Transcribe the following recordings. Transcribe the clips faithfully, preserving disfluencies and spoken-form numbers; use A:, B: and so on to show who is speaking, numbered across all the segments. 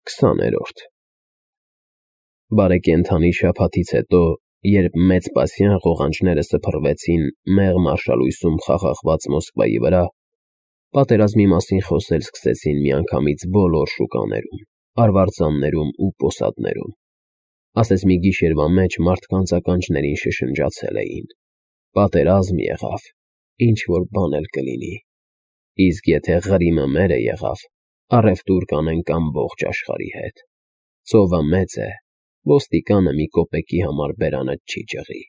A: Քսաներորդ Բարեկենդանի շաբաթից հետո, երբ մեծ պասյան ղողանջները սփռվեցին մեղմ արշալույսում խաղաղված Մոսկվայի վրա, պատերազմի մասին խոսել սկսեցին միանգամից բոլոր շուկաներում, արվարձաններում ու պոսատներում, ասես մի գիշերվա մեջ մարդկանց ականջներին շշնջացել էին. պատերազմ եղավ, ինչ-որ բան էլ կլինի, իսկ եթե Ղրիմը մերը եղավ, առևտուր կանենք ամբողջ աշխարհի հետ, ծովը մեծ է, ոստիկանը մի կոպեկի համար բերանը չի ճղի։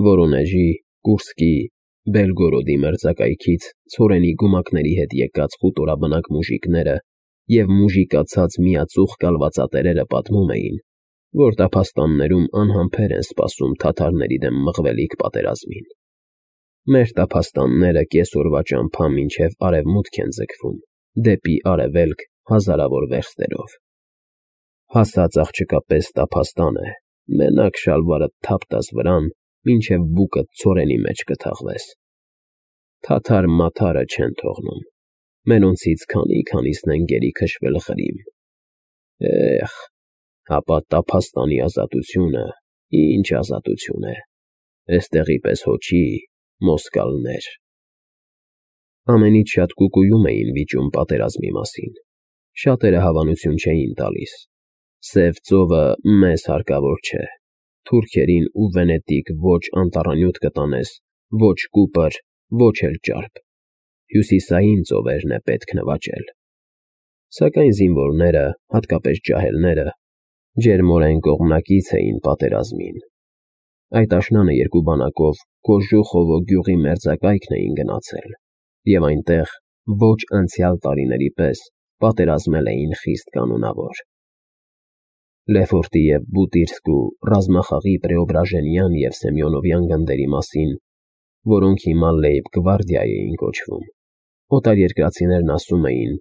A: Վորոնեժի, Կուրսկի, Բելգորոդի մերձակայքից ցորենի գումակների հետ եկած խուտորաբնակ մուժիկները և մուժիկացած միածուխ կալվածատերերը պատմում էին, որ տափաստաններում անհամբեր են սպասում թաթարների դեմ մղվելիք պատերազմին։ Մեր տափաստանները կեսօրվա ճամփա մինչև արևմուտք են ձգվում, դեպի արևելք հազարավոր վերստերով։ Հասած աղջկա պես տափաստան է, մենակ շալվարդ թափ տաս վրան, մինչև բուկդ ցորենի մեջ կթաղվես։ Թաթար֊մաթարը չեն թողնում, մենոնցից քանի֊քանիսն են գերի քշվել Ղրիմ։ Էխ, հապա տափաստանի ազատությունը ինչ ազատություն է, էստեղի պես հո չի, մոսկալներ։ Ամենից շատ կուկուում էին վիճում պատերազմի մասին, շատերը հավանություն չէին տալիս։ Սև ծովը մեզ հարկավոր չէ, թուրքերին ու Վենետիկ ոչ անտառանյութ կտանես, ոչ Կուպր, ոչ էլ ճարպ, հյուսիսային ծովերն է պետք նվաճել։ Սակայն զինվորները, հատկապես ջահելները, ջերմորեն կողմնակից էին պատերազմին։ Այդ աշնանը երկու բանակով Կոժուխովո գյուղի մերձակայքն էին գնացել, և այնտեղ ոչ անցյալ տարիների պես պատերազմել էին խիստ կանոնավոր։ Լեֆորտի և Բուտիրսկու ռազմախաղի Պրեոբրաժենյան և Սեմյոնովյան գնդերի մասին, որոնք հիմա լեյբ-գվարդիա էին կոչվում, օտարերկրացիներն ասում էին,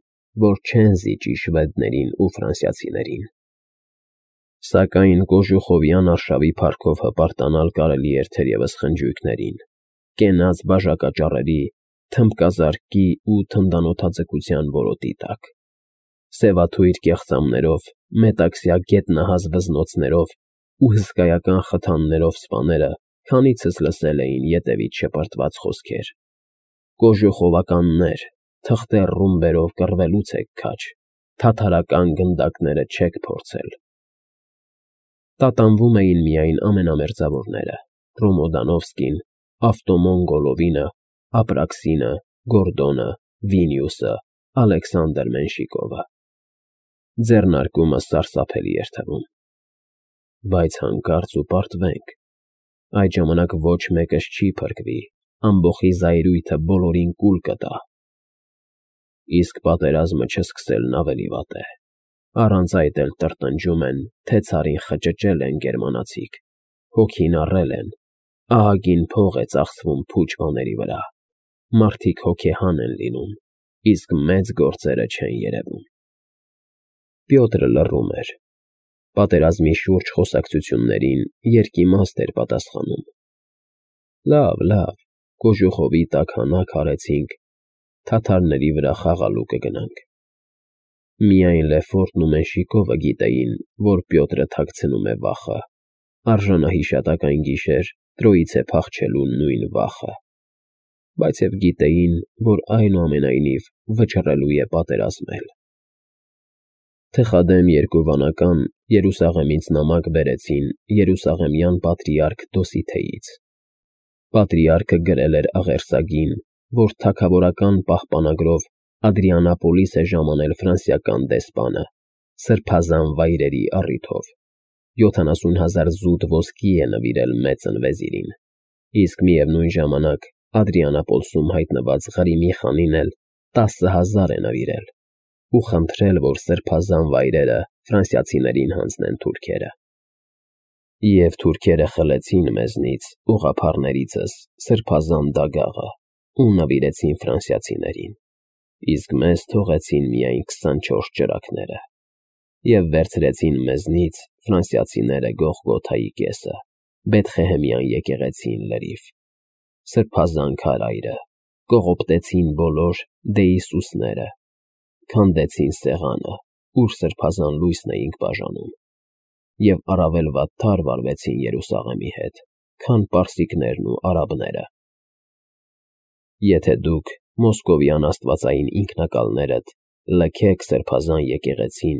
A: որ չեն զիջի շվեդներին ու ֆրանսիացիներին։ Սակայն Կոժուխովյան արշավի փառքով հպարտանալ կարելի էր թերևս խնջույքներին, կենաց բաժակաճառերի, թմբկազարկի ու թնդանոթաձգության որոտի տակ։ Սևաթույր կեղծամներով, մետաքսյա գետնահազ վզնոցներով ու հսկայական խթաններով սպաները քանիցս լսել էին ետևից շպրտված խոսքեր. «Կոժուխովականներ, թղթե ռումբերով կռվելուց եք քաջ, թաթարական գնդակները չեք փորձել»։ Տատանվում էին միայն ամենամերձավորները՝ Ռոմոդանովսկին, Ավտոմոն Գոլովինը, Ապրաքսինը, Գորդոնը, Վինիուսը, Ալեքսանդր Մենշիկովը։ Ձեռնարկումը սարսափելի էր թվում։ Բայց հանկարծ ու պարտվենք, այդ ժամանակ ոչ մեկս չի փրկվի, ամբոխի զայրույթը բոլորին կուլ կտա։ Իսկ պատերազմը չսկսելն ավելի վատ է, առանց այդ էլ տրտնջում են, թե ցարին խճճել են գերմանացիք, հոգին առել են, ահագին փող է ծախսվում փուչ բաների վրա, մարդիկ հոգեհան են լինում, իսկ մեծ գործերը չեն երևում։ Պյոտրը լռում էր։ Պատերազմի շուրջ խոսակցություններին երկիմաստ էր պատասխանում։ Լավ, լավ, Կոժուխովի տակ հանակ հարեցինք, թաթարների վրա խաղալու կգնանք։ Միայն Լեֆորտն ու Մենշիկովը գիտեին, որ Պյոտրը թաքցնում է վախը, արժանահիշատակ այն գիշեր Տրոյիցե փախչելու նույն վախը, բայց և գիտեին, որ այնուամենայնիվ վճռելու է պատերազմել։ Թխադեմ երկու վանական Երուսաղեմից նամակ բերեցին երուսաղեմյան պատրիարք Դոսիթեից։ Պատրիարքը գրել էր աղերսագին, որ թագավորական պահպանագրով Ադրիանապոլիս է ժամանել ֆրանսիական դեսպանը, սրբազան վայրերի առիթով, յոթանասուն հազար զուտ ոսկի է նվիրել մեծն վեզիրին, իսկ միևնույն ժամանակ Ադրիանապոլսում հայտնված Ղրիմի խանին էլ տասը հազար է նվիրել ու խնդրել, որ սրբազան վայրերը ֆրանսիացիներին հանձնեն թուրքերը։ Եվ թուրքերը խլեցին մեզնից, ուղղափառներիցս, սրբազան դագաղը ու նվիրեցին ֆրանսիացիներին, իսկ մեզ թողեցին միայն քսանչորս ճրագները և վերցրեցին մեզնից ֆրանսիացիները Գողգոթայի կեսը, Բեթխեհեմյան եկեղեցին լրիվ, սրբազան քարայրը, կողոպտեցին բոլոր դե Հիսուսները, քանդեցին սեղանը, ուր սրբազան լույսն էինք բաժանում, և առավել վատթար վարվեցին Երուսաղեմի հետ, քան պարսիկներն ու արաբները։ Եթե դուք մոսկովյան աստվածային ինքնակալներդ լքեք սրբազան եկեղեցին,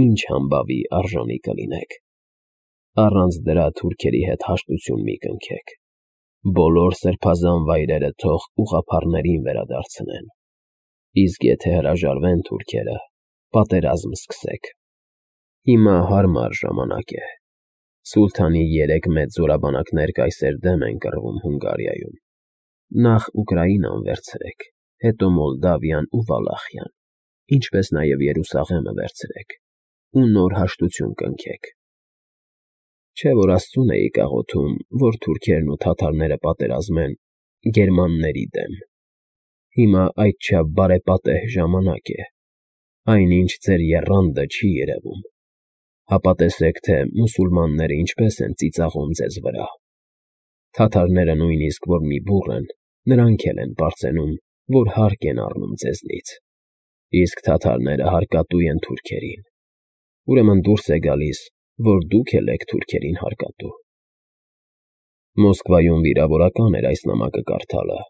A: ինչ համբավի արժանի կլինեք։ Առանց դրա թուրքերի հետ հաշտություն մի կնքեք։ Բոլոր սրբազան վայրերը թող ուղղափառներին վերադարձնեն։ Իսկ եթե հրաժարվեն թուրքերը, պատերազմ սկսեք։ Հիմա հարմար ժամանակ է։ Սուլթանի երեք մեծ զորաբանակներ կայսեր դեմ են կռվում Հունգարիայում։ Նախ Ուկրաինան վերցրեք, հետո Մոլդավիան ու Վալախիան, ինչպես նաև Երուսաղեմը վերցրեք, ու նոր հաշտություն կնքեք։ Չէ՞ որ Աստծուն էիք աղոթում, որ թուրքերն ու թաթարները պատերազմեն գերմանների դեմ։ Հիմա այդչափ բարեպատեհ ժամանակ է, այնինչ ձեր եռանդը չի երևում։ Հապա տեսեք, թե մուսուլմանները ինչպես են ծիծաղում ձեզ վրա։ Թաթարները նույնիսկ որ մի բուռ են, նրանք էլ են պարծենում, որ հարկ են առնում ձեզնից, իսկ թաթարները հարկատու են թուրքերին։ Ուրեմն դուրս է գալիս, որ դուք էլ եք թուրքերին հարկատու։ Մոսկվայում վիրավորական էր այս նամակը կարդալը։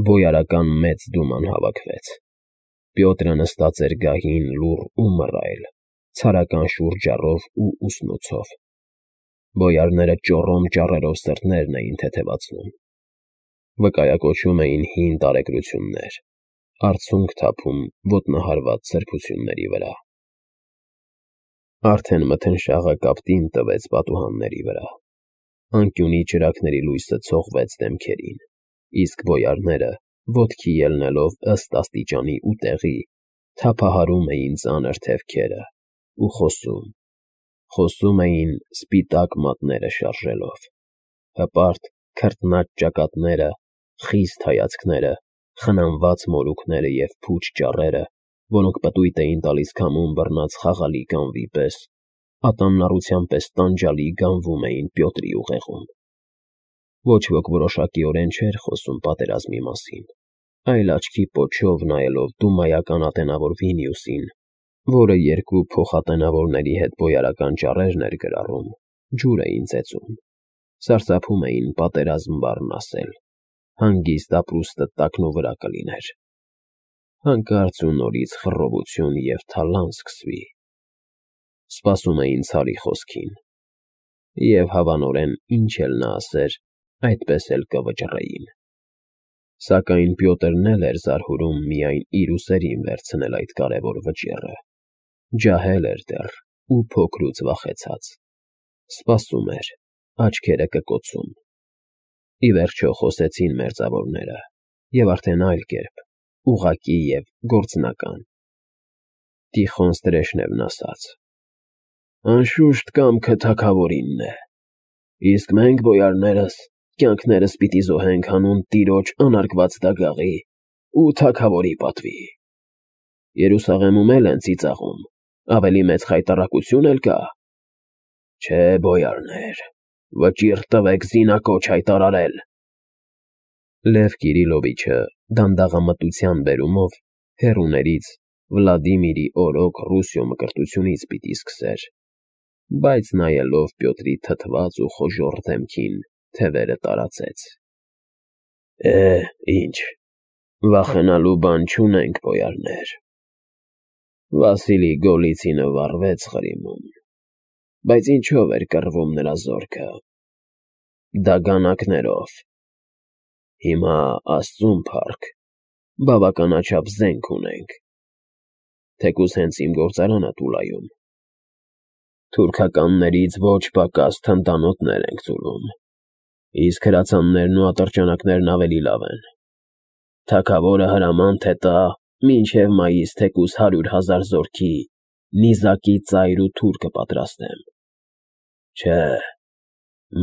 A: Բոյարական մեծ դուման հավաքվեց։ Պյոտրը նստած էր գահին լուռ ու մռայլ, ցարական շուրջառով ու ուսնոցով։ Բոյարները ճոռոմ ճառերով սրտերն էին թեթևացնում։ Վկայակոչում էին հին տարեգրություններ, արցունք թափում ոտնահարված սրբությունների վրա։ Արդեն մթնշաղը կապտին տվեց պատուհանների վրա։ Անկյունի ճրագների լույսը ցողվեց դեմքերին, իսկ բոյարները, ոտքի ելնելով ըստ աստիճանի ու տեղի, թափահարում էին ծանր թևքերը ու խոսում, խոսում էին սպիտակ մատները շարժելով, հպարտ քրտնած ճակատները, խիստ հայացքները, խնամված մորուքները և փուչ ճառերը, որոնք պտույտ էին տալիս քամուն բռնած խաղալի կանվի պես, ատամնառության պես տանջալի գանվում էին Պյոտրի ուղեղում։ Ոչ ոք որոշակիորեն չէր խոսում պատերազմի մասին, այլ աչքի պոչով նայելով դումայական ատենավոր Վինիուսին, որը երկու փոխատենավորների հետ բոյարական ճառերն էր գրառում, ջուր էին ծեծում, սարսափում էին պատերազմ բառն ասել, հանգիստ ապրուստը տակնու վրա կլիներ։ Հանկարծ ու նորից խռովություն և թալան սկսվի։ Սպասում էին ցարի խոսքին, և հավանորեն ինչ էլ նա ասեր, այդպես էլ կվճռեին։ Սակայն Պյոտրն էլ էր զարհուրում միայն իր ուսերին վերցնել այդ կարևոր վճիռը, ջահել էր դեռ ու փոքրուց վախեցած, սպասում էր, աչքերը կկոցում։ Ի վերջո խոսեցին մերձավորները, և արդեն այլ կերպ, ուղղակի և գործնական։ Տիխոն Ստրեժնևն ասաց. «Անշուշտ կամքը թագավորինն է, իսկ մենք, բոյարներս, կյանքներս պիտի զոհենք հանուն տիրոջ անարգված դագաղի ու թագավորի պատվի։ Երուսաղեմում էլ են ծիծաղում, ավելի մեծ խայտառակություն էլ կա։ Չէ, բոյարներ, վճիռ տվեք զինակոչ հայտարարել»։ Լև Կիրիլովիչը դանդաղամտության բերումով հեռուներից Վլադիմիրի օրոք Ռուսիո մկրտությունից պիտի սկսեր, բայց նայելով Պյոտրի թթված ու խոժոռ դեմքին, թևերը տարածեց։ Է, ինչ, վախենալու բան չունենք, բոյարներ։ Վասիլի Գոլիցինը վառվեց Ղրիմում, բայց ինչով էր կռվում նրա զորքը։ Դագանակներով։ Հիմա Աստծուն փառք, բավականաչափ զենք ունենք, թեկուզ հենց իմ գործարանը Տուլայում։ Թուրքականներից ոչ պակաս թնդանոթներ ենք ծուլում, իսկ հրացաններն ու ատրճանակներն ավելի լավ են։ Թագավորը հրամանդ է տա մինչև մայիս թեկուզ հարյուր հազար զորքի նիզակի ծայր ու թուր կպատրաստեմ։ Չէ,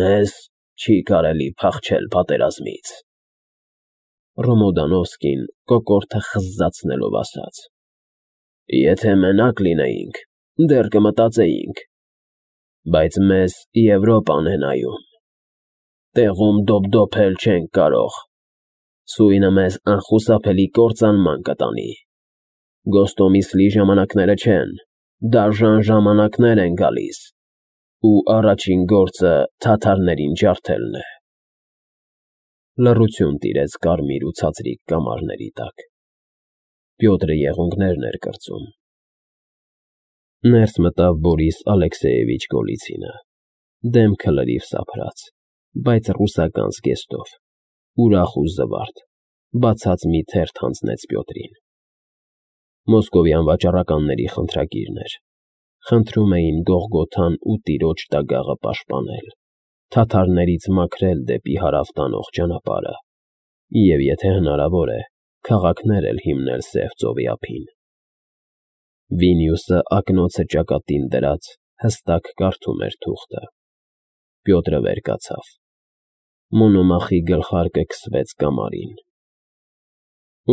A: մեզ չի կարելի փախչել պատերազմից։ Ռոմոդանովսկին կոկորդը խզզացնելով ասաց. Եթե մենակ լինեինք, դեռ կմտածեինք, բայց մեզ Եվրոպան է նայում։ Տեղում դոպդոպել չենք կարող։ Սույնը մեզ անխուսափելի կործանման կտանի։ Գոստոմիսլի ժամանակները չեն, Դաժան ժամանակներ են գալիս, ու առաջին գործը թաթարներին ջարդելն է։ Լռություն տիրեց կարմիր ու ցածրիկ կամարների տակ։ Պյոտրը եղունգներն էր կրծում։ Ներս մտավ Բորիս Ալեքսեևիչ Գոլիցինը, դեմքը լրիվ սափրած, բայց ռուսական զգեստով, ուրախ ու զվարթ, բացած մի թերթ հանձնեց Պյոտրին։ Մոսկովյան վաճառականների խնդրագիրն էր, խնդրում էին Գողգոթան ու տիրոջ տագաղը պաշտպանել, թաթարներից մաքրել դեպի հարավ տանող ճանապարհը և, եթե հնարավոր է, քաղաքներ էլ հիմնել Սև ծովի ափին։ Վիլնյուսը ակնոցը ճակատին դրած հստակ կարդում էր թուղթը։ Պյոտրը վեր կացավ։ Մոնոմախի գլխարկը քսվեց կամարին։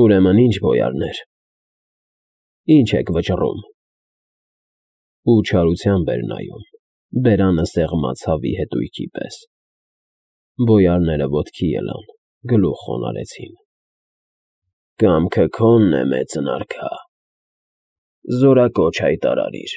A: Ուրեմն ի՞նչ բոյարներ, ի՞նչ եք վճռում։ Ու չարությամբ էր նայում, բերանը սեղմած հավի հետույքի պես։ Բոյարները ոտքի ելան, գլուխ խոնարհեցին։ Կամքը քոնն է, մեծն արքա, զորակոչ հայտարարիր։